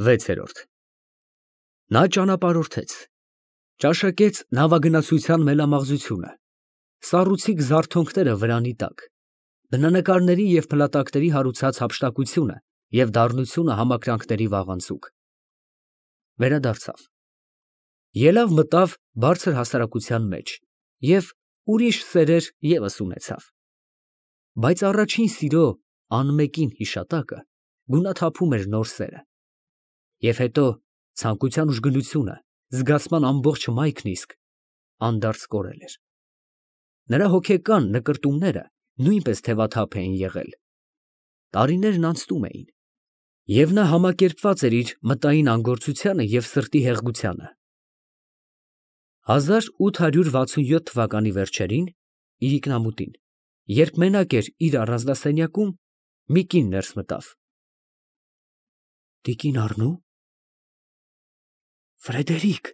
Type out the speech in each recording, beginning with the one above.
6-րդ Նա ճանապարհորդեց, ճաշակեց նավագնացության մելամաղձությունը, սառուցիկ զարթոնքները վրանի տակ, բնանկարների և փլատակների հարուցած հափշտակությունը և դառնությունը համակրանքների վաղանցուկ, վերադարձավ, ելավ մտավ բարձր հասարակության մեջ և ուրիշ սերեր ևս ունեցավ, բայց առաջին սիրո անմեկին հիշատակը գունաթափում էր նոր սերը, և հետո ցանկության ուժգնությունը, զգացման ամբողջ մայքն իսկ անդարձ կորել էր, նրա հոգեկան նկրտումները նույնպես թևաթափ էին եղել, տարիներն անցնում էին, և նա համակերպված էր իր մտային անգործությանը և սրտի հեղգությանը, 1867 թվականի վերջերին, իրիկնամուտին, երբ մենակ էր իր առանձնասենյակում, մի կին ներս մտավ. Տիկին Առնո՞ւ։ Ֆրեդերիկ։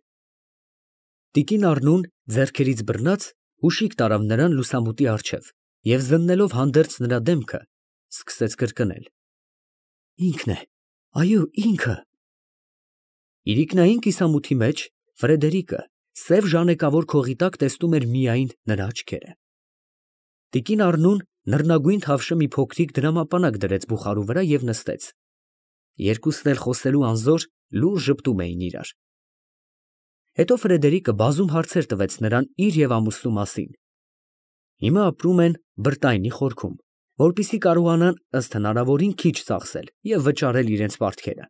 Տիկին Առնուն ձեռքերից բռնած հուշիկ տարավ նրան լուսամուտի առջև և զննելով հանդերձ նրա դեմքը, սկսեց կրկնել. Ինքն է, այո, ինքը։ Իրիկնային կիսամութի մեջ Ֆրեդերիկը սև ժանեկավոր քողի տակ տեսնում էր միայն նրա աչքերը։ Տիկին Առնուն նռնագույն թավշը մի փոքրիկ դրամապանակ դրեց բուխարու վրա և նստեց։ Երկուսն էլ խոսելու անզոր լուռ ժպտում էին իրար։ Հետո Ֆրեդերիկը բազում հարցեր տվեց նրան իր և ամուսնու մասին։ Հիմա ապրում են Բրտայնի խորքում, որպեսզի կարողանան ըստ հնարավորին քիչ ծախսել և վճարել իրենց պարտքերը։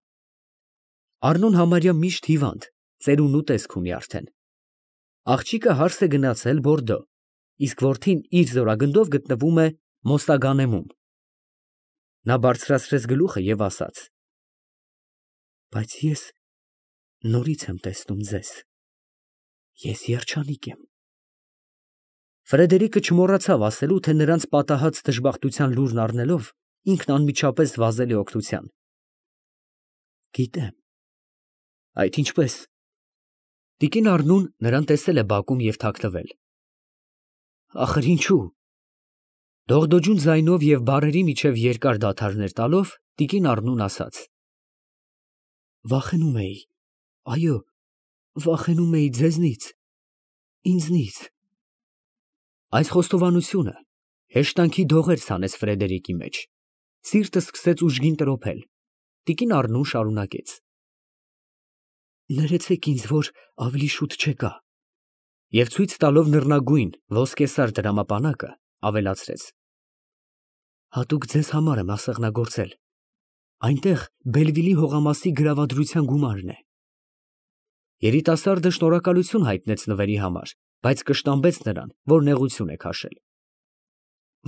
Առնուն համարյա միշտ հիվանդ, ծերունու տեսք ունի արդեն։ Աղջիկը հարս է գնացել Բորդո, իսկ որդին իր զորագնդով գտնվում է Մոստագանեմում։ Նա բարձրացրեց գլուխը և ասաց. Բայց ես նորից եմ տեսնում ձեզ։ Ես երջանիկ եմ։ Ֆրեդերիկը չմոռացավ ասելու, թե նրանց պատահած դժբախտության լուրն առնելով, ինքն անմիջապես վազել է օգնության։ Գիտեմ։ Այդ ինչպես։ Տիկին Առնուն նրան տեսել է բակում և թաքնվել։ Ախր ինչու։ Դողդոջուն ձայնով և բառերի միջև երկար դադարներ տալով, տիկին Առնուն ասաց. Վախենում էի, այո, վախենում էի ձեզնից, ինձնից։ Այս խոստովանությունը հեշտանքի դողեր ցանեց Ֆրեդերիկի մեջ, սիրտը սկսեց ուժգին տրոփել, տիկին Առնուն շարունակեց. Ներեցեք ինձ, որ ավելի շուտ չեկա։ Եվ ցույց տալով նռնագույն ոսկեսար դրամապանակը, ավելացրեց. Հատուկ ձեզ համար եմ ասեղնագործել, այնտեղ Բելվիլի հողամասի գրավադրության գումարն է։ Երիտասարդը շնորհակալություն հայտնեց նվերի համար, բայց կշտամբեց նրան, որ նեղություն է քաշել։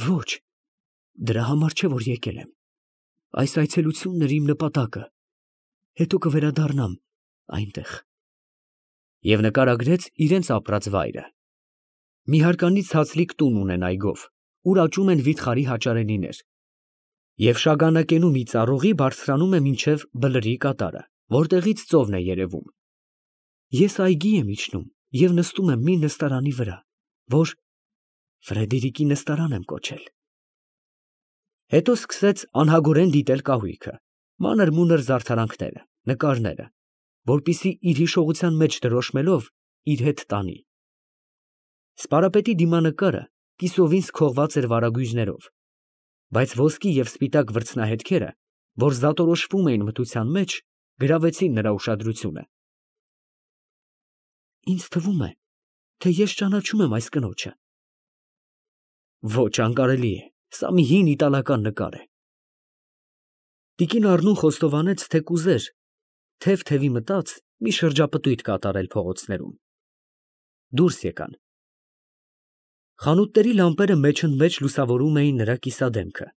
Ոչ, դրա համար չէ, որ եկել եմ։ Այս այցելությունն էր իմ նպատակը, հետո կվերադառնամ այնտեղ։ Եվ նկարագրեց իրենց ապրած վայրը։ Մի հարկանից հացլիկ տուն ունեն այգով, ուր աճում են վիթխարի հաճարենիներ, և շագանակենու մի ծառուղի բարձրանում է մինչև Բլրի կատարը, որտեղից ծովն է երևում։ Ես այգի եմ իջնում և նստում եմ մի նստարանի վրա, որ Ֆրեդերիկի նստարան եմ կոչել։ Հետո սկսեց անհագորեն դիտել կահույքը, մանր֊մունր զարդարանքները, նկարները, որպեսզի իր հիշողության մեջ դրոշմելով իր հետ տանի։ Սպարապետի դիմանկարը կիսովին սքողված էր վարագույրներով, բայց ոսկի և սպիտակ վրձնահետքերը, որ զատորոշվում էին մթության մեջ, գրավեցին նրա ուշադրությունը։ Ինձ թվում է, թե ես ճանաչում եմ այս կնոջը։ Ոչ, անկարելի է, սա մի հին իտալական նկար է։ Տիկին Առնուն խոստովանեց, թե կուզեր թև-թևի մտած մի շրջապտույտ կատարել փողոցներում։ Դուրս եկան։ Խանութների լամպերը մեջընդմեջ լուսավորում էին նրա կիսադեմքը,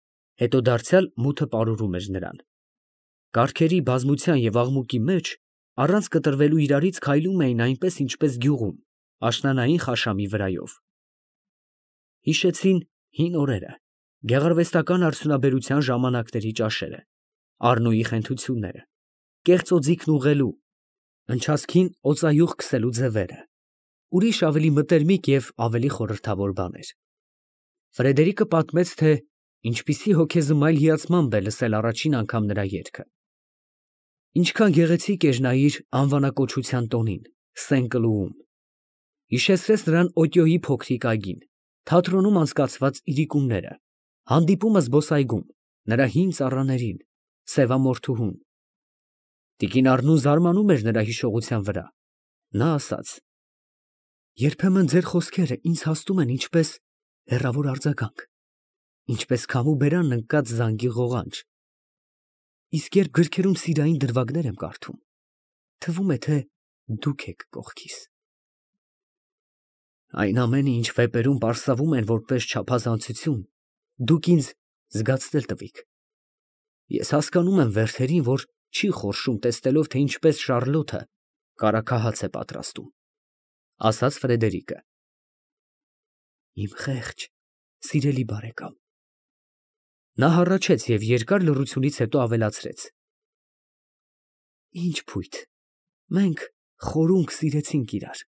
հետո դարձյալ մութը պարուրում էր նրան։ Կառքերի բազմության և աղմուկի մեջ առանց կտրվելու իրարից քայլում էին այնպես, ինչպես գյուղում, աշնանային խաշամի վրայով։ Հիշեցին հին օրերը, գեղարվեստական արդյունաբերության ժամանակների ճաշերը, Առնոյի խենթությունները, կեղծ օձիքն ուղղելու, ընչացքին օծայուղ քսելու ձևերը, ուրիշ ավելի մտերմիկ և ավելի խորհրդավոր բաներ։ Ֆրեդերիկը պատմեց, թե ինչպիսի հոգեզմայլ հիացմամբ է լսել առաջին անգամ նրա երգը։ Ինչքան գեղեցիկ էր նա իր անվանակոչության տոնին, Սեն֊Կլուում։ Հիշեցրեց նրան Օտյոյի փոքրիկ այգին, թատրոնում անցկացված իրիկունները, հանդիպումը զբոսայգում, նրա հին ծառաներին, սևամորթուհուն։ Տիկին Առնուն զարմանում էր նրա հիշողության վրա։ Նա ասաց. երբեմն ձեր խոսքերը ինձ հասնում են ինչպես հեռավոր արձագանք, ինչպես քամու բերան ընկած զանգի ղողանջ։ Իսկ երբ գրքերում սիրային դրվագներ եմ կարդում, թվում է, թե դուք եք կողքիս։ Այն ամենը, ինչ վեպերում պարսավում են որպես չափազանցություն, դուք ինձ զգացնել տվիք։ Ես հասկանում եմ Վերթերին, որ չի խորշում, տեսնելով, թե ինչպես Շարլոթը կարագահաց է պատրաստում, ասաց Ֆրեդերիկը։ Իմ խեղճ, սիրելի բարեկամ։ Նա հառաչեց և երկար լռությունից հետո ավելացրեց. Ինչ փույթ, մենք խորունկ սիրեցինք իրար։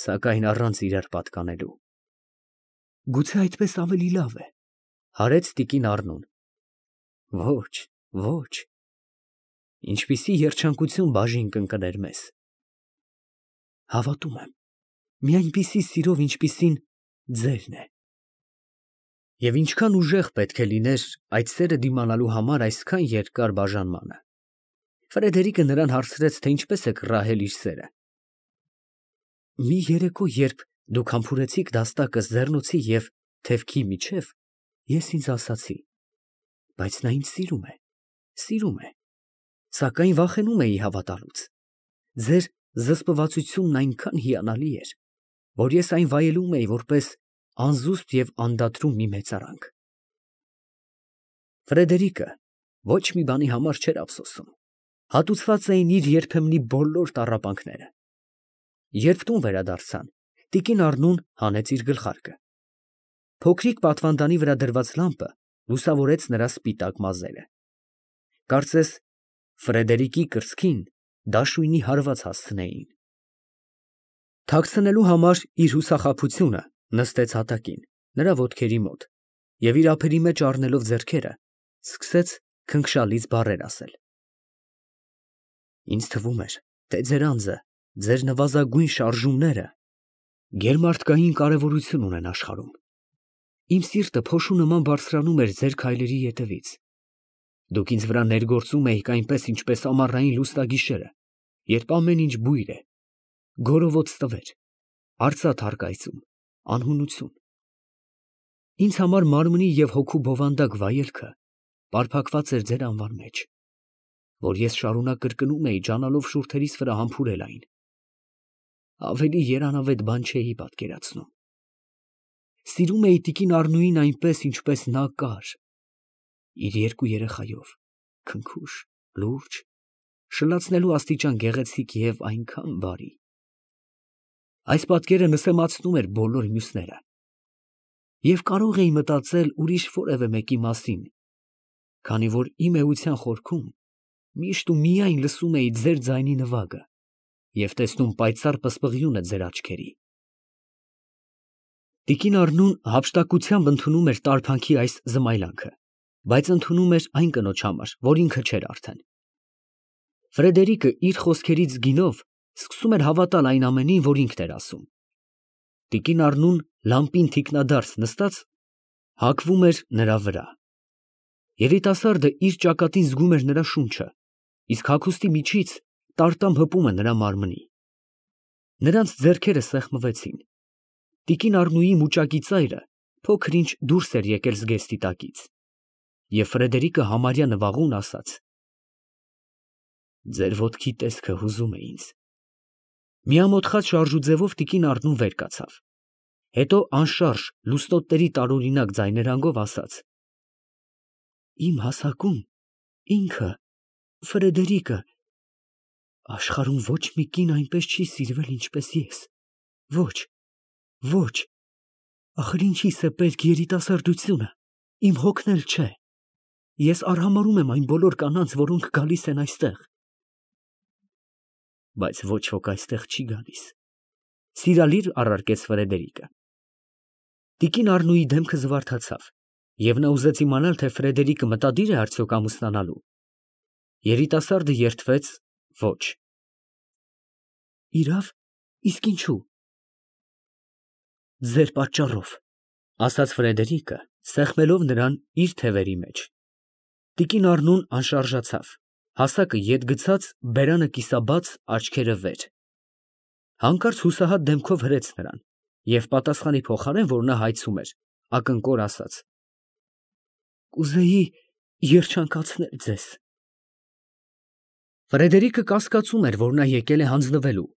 Սակայն առանց իրար պատկանելու։ Գուցե այդպես ավելի լավ է, հարեց տիկին Առնուն։ Ոչ, ոչ։ Ինչպիսի երջանկություն բաժին կընկներ մեզ։ Հավատում եմ, մի այնպիսի սիրով, ինչպիսին ձերն է։ Եվ ինչքան ուժեղ պետք է լիներ այդ սերը դիմանալու համար այսքան երկար բաժանմանը։ Ֆրեդերիկը նրան հարցրեց, թե ինչպես է կռահել իր սերը։ Մի երեկո, երբ դուք համբուրեցիք դաստակս ձեռնոցի և թևքի միջև, ես ինձ ասացի. բայց նա ինձ սիրում է, սիրում է, սակայն վախենում էի հավատալուց։ Ձեր զսպվածությունն այնքան հիանալի էր, որ ես այն վայելում էի որպես անզուսպ և անդադրում մի մեծարանք։ Ֆրեդերիկը ոչ մի բանի համար չէր ափսոսում։ Հատուցված էին իր երբեմնի բոլոր տառապանքները։ Երբ տուն վերադարձան, տիկին Առնուն հանեց իր գլխարկը։ Փոքրիկ պատվանդանի վրա դրված լամպը լուսավորեց նրա սպիտակ մազերը։ Կարծես Ֆրեդերիկի կրծքին դաշույնի հարված հասցնեին։ Թաքցնելու համար իր հուսախաբությունը նստեց հատակին, նրա ոտքերի մոտ, և իր ափերի մեջ առնելով ձեռքերը, սկսեց քնքշալից բառեր ասել։ Ինձ թվում էր, թե ձեր անձը, ձեր նվազագույն շարժումները գերմարդկային կարևորություն ունեն աշխարհում։ Իմ սիրտը փոշու նման բարձրանում էր ձեր քայլերի ետևից։ Դուք ինձ վրա ներգործում էիք այնպես, ինչպես ամառային լուսնագիշերը, երբ ամեն ինչ բույր է, գորովոց տվեր, արծաթ հարկայծում, անհունություն։ Ինձ համար մարմնի և հոգու բովանդակ վայելքը պարփակված էր ձեր անվան մեջ, որ ես շարունակ կրկնում էի, ջանալով շուրթերիս վրա համբուրել այն։ Ավելի երանավետ բան չէի պատկերացնում։ Սիրում էի տիկին Առնուին այնպես, ինչպես նա կար, իր երկու երեխայով, քնքուշ, լուրջ, շլացնելու աստիճան գեղեցիկ և այնքան բարի։ Այս պատկերը նսեմացնում էր բոլոր մյուսները։ Եվ կարող էի մտածել ուրիշ որևէ մեկի մասին, քանի որ իմ էության խորքում միշտ ու միայն լսում էի ձեր ձայնի նվագը և տեսնում պայծառ պսպղյունը ձեր աչքերի։ Տիկին Առնուն հափշտակությամբ ընդունում էր տարփանքի այս զմայլանքը, բայց ընդունում էր այն կնոջ համար, որ ինքը չէր արդեն։ Ֆրեդերիկը իր խոսքերից գինով սկսում էր հավատալ այն ամենին, որ ինքն էր ասում։ Տիկին Առնուն լամպին թիկնադարս նստած հագվում էր նրա վրա։ Երիտասարդը իր ճակատին զգում էր նրա շունչը, իսկ հագուստի միջից տարտամ հպում է նրա մարմնի։ Նրանց ձեռքերը սեղմվեցին։ Տիկին Առնուի մուճակի ծայրը փոքր-ինչ դուրս էր եկել զգեստի տակից, և Ֆրեդերիկը համարյա նվաղուն ասաց. ձեր ոտքի տեսքը հուզում է ինձ։ Միամոթխած շարժուձևով տիկին Առնուն վեր կացավ։ Հետո անշարժ լուսնոտների տարօրինակ ձայներանգով ասաց. Իմ հասակում ինքը, Ֆրեդերիկը, աշխարհում ոչ մի կին այնպես չի սիրվել, ինչպես ես։ Ոչ, ոչ, ախր ինչիս է պետք երիտասարդությունը, իմ հոգն էլ չէ։ Ես արհամարհում եմ այն բոլոր կանանց, որոնք գալիս են այստեղ։ Բայց ոչ ոք այստեղ չի գալիս, սիրալիր առարկեց Ֆրեդերիկը։ Տիկին Առնուի դեմքը զվարթացավ, և նա ուզեց իմանալ, թե Ֆրեդերիկը մտադիր է արդյոք ամուսնանալու։ Երիտասարդը երդվեց. ոչ։ Իրավ, իսկ ինչու։ Ձեր պատճառով, ասաց Ֆրեդերիկը, սեղմելով նրան իր թևերի մեջ։ Տիկին Առնուն անշարժացավ, հասակը ետ գցած, բերանը կիսաբաց, աչքերը վեր։ Հանկարծ հուսահատ դեմքով հրեց նրան և պատասխանի փոխարեն, որ նա հայցում էր, ակնկոր ասաց. Կուզեի երջանկացնել ձեզ։ Ֆրեդերիկը կասկածում էր, որ նա եկել է հանձնվելու,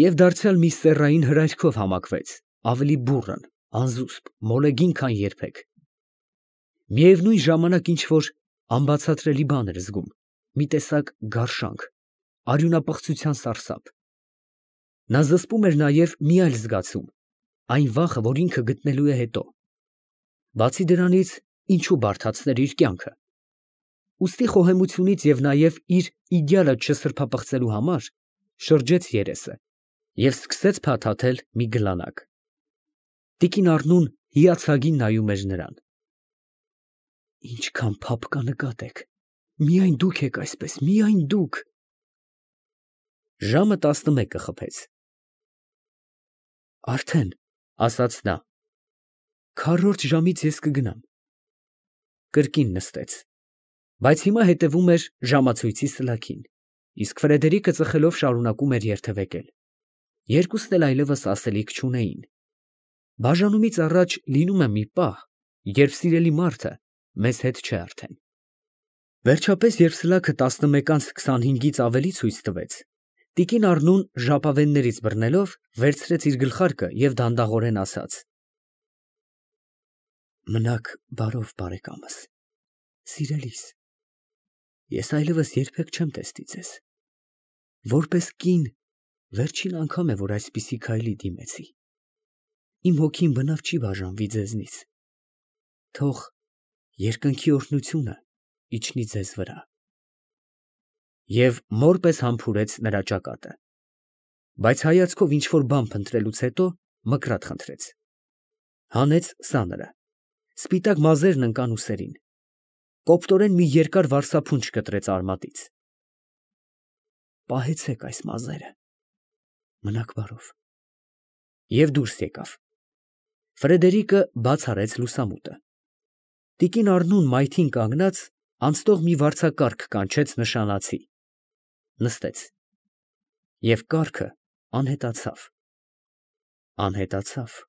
և դարձյալ մի սեռային հրայրքով համակվեց, ավելի բուռն, անզուսպ, մոլեգին, քան երբեք։ Միևնույն ժամանակ ինչ-որ անբացատրելի բան էր զգում, մի տեսակ գարշանք, արյունապղծության սարսափ։ Նա զսպում էր նաև մի այլ զգացում, այն վախը, որ ինքը գտնելու է հետո։ Բացի դրանից, ինչու բարդացներ իր կյանքը։ Ուստի խոհեմությունից և նաև իր իդեալը չսրբապղծելու համար շրջեց երեսը և սկսեց փաթաթել մի գլանակ։ Տիկին Առնուն հիացագին նայում էր նրան։ Ինչքան փափկա նկատ եք, միայն դուք եք այսպես, միայն դուք։ Ժամը 11 խփեց։ Արդեն, ասաց նա, քառորդ ժամից ես կգնամ։ Կրկին նստեց, բայց հիմա հետևում էր ժամացույցի սլաքին, իսկ Ֆրեդերիկը ծխելով շարունակում էր երթևեկել։ Երկուսն էլ այլևս ասելիք չունեին։ Բաժանումից առաջ լինում է մի պահ, երբ սիրելի մարդը մեզ հետ չէ արդեն։ Վերջապես, երբ սլաքը 11:25-ից ավելի ցույց տվեց, տիկին Առնուն ժապավեններից բռնելով վերցրեց իր գլխարկը և դանդաղորեն ասաց. Մնաք բարով, բարեկամս, սիրելիս, ես այլևս երբեք չեմ տեսնի ձեզ։ Որպես կին, վերջին անգամ է, որ այսպիսի քայլի դիմեցի։ Իմ հոգին բնավ չի բաժանվի ձեզնից։ Թող երկնքի օրհնությունը իջնի ձեզ վրա։ Եվ մոր պես համբուրեց նրա ճակատը, բայց հայացքով ինչ-որ բան փնտրելուց հետո մկրատ խնդրեց։ Հանեց սաները, սպիտակ մազերն ընկան ուսերին, կոպտորեն մի երկար վարսափունջ կտրեց արմատից։ Պահեցեք այս մազերը, մնաք բարով։ Եվ դուրս եկավ։ Ֆրեդերիկը բաց արեց լուսամուտը։ Տիկին Առնուն մայթին կանգնած անցնող մի վարձակարգ կանչեց նշանացի։ Նստեց։ Եվ կառքը անհետացավ։ Անհետացավ։